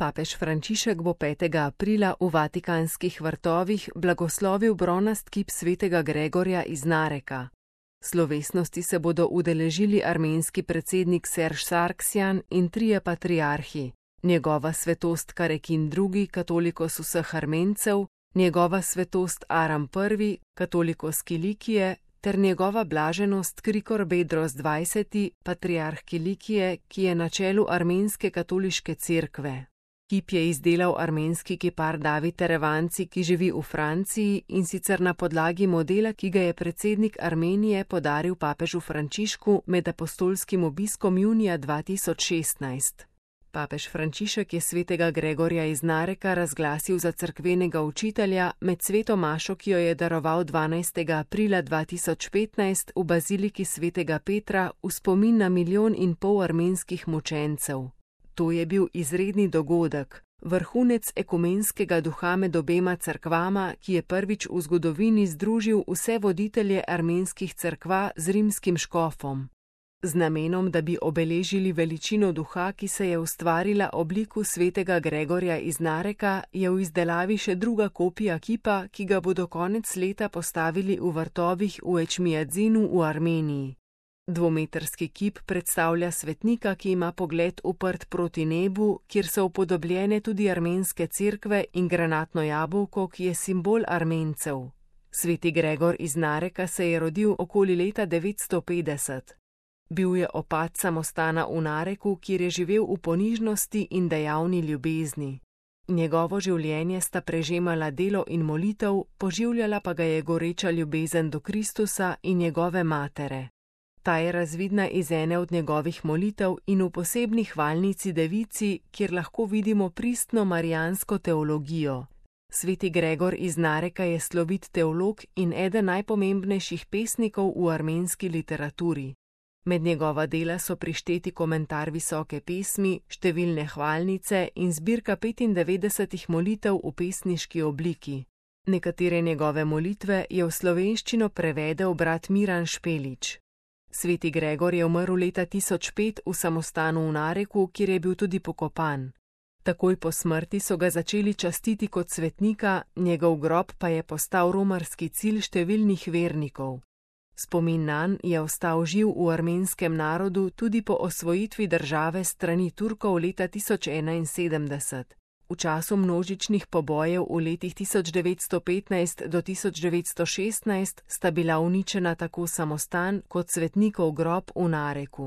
Papež Frančišek bo 5. aprila v Vatikanskih vrtovih blagoslovil bronast kip svetega Gregorja iz Nareka. Slovesnosti se bodo udeležili armenski predsednik Serž Sargsjan in trije patriarhi, njegova svetost Karekin II, katolikos vseh Armencev, njegova svetost Aram I, katolikos Kilikije, ter njegova blaženost Krikor Bedros XX, patriarh Kilikije, ki je na čelu armenske katoliške cerkve. Kip je izdelal armenski kipar David Terevanci, ki živi v Franciji, in sicer na podlagi modela, ki ga je predsednik Armenije podaril papežu Frančišku med apostolskim obiskom junija 2016. Papež Frančišek je svetega Gregorja iz Nareka razglasil za cerkvenega učitelja med sveto mašo, ki jo je daroval 12. aprila 2015 v baziliki svetega Petra v spomin na 1,5 milijona armenskih mučencev. To je bil izredni dogodek, vrhunec ekumenskega duha med obema cerkvama, ki je prvič v zgodovini združil vse voditelje armenskih cerkva z rimskim škofom. Z namenom, da bi obeležili veličino duha, ki se je ustvarila obliku svetega Gregorja iz Nareka, je v izdelavi še druga kopija kipa, ki ga bodo konec leta postavili v vrtovih v Ečmijadzinu v Armeniji. Dvometrski kip predstavlja svetnika, ki ima pogled uprt proti nebu, kjer so upodobljene tudi armenske cerkve in granatno jabolko, ki je simbol Armencev. Sveti Gregor iz Nareka se je rodil okoli leta 950. Bil je opat samostana v Nareku, kjer je živel v ponižnosti in dejavni ljubezni. Njegovo življenje sta prežemala delo in molitev, poživljala pa ga je goreča ljubezen do Kristusa in njegove matere. Ta je razvidna iz ene od njegovih molitev in v posebni hvalnici Devici, kjer lahko vidimo pristno marijansko teologijo. Sveti Gregor iz Nareka je slovit teolog in eden najpomembnejših pesnikov v armenski literaturi. Med njegova dela so prišteti komentar visoke pesmi, številne hvalnice in zbirka 95 molitev v pesniški obliki. Nekatere njegove molitve je v slovenščino prevedel brat Miran Špelič. Sveti Gregor je umrl leta 1005 v samostanu v Nareku, kjer je bil tudi pokopan. Takoj po smrti so ga začeli častiti kot svetnika, njegov grob pa je postal romarski cilj številnih vernikov. Spomin nanj je ostal živ v armenskem narodu tudi po osvojitvi države strani Turkov leta 1071. V času množičnih pobojev v letih 1915 do 1916 sta bila uničena tako samostan kot svetnikov grob v Nareku.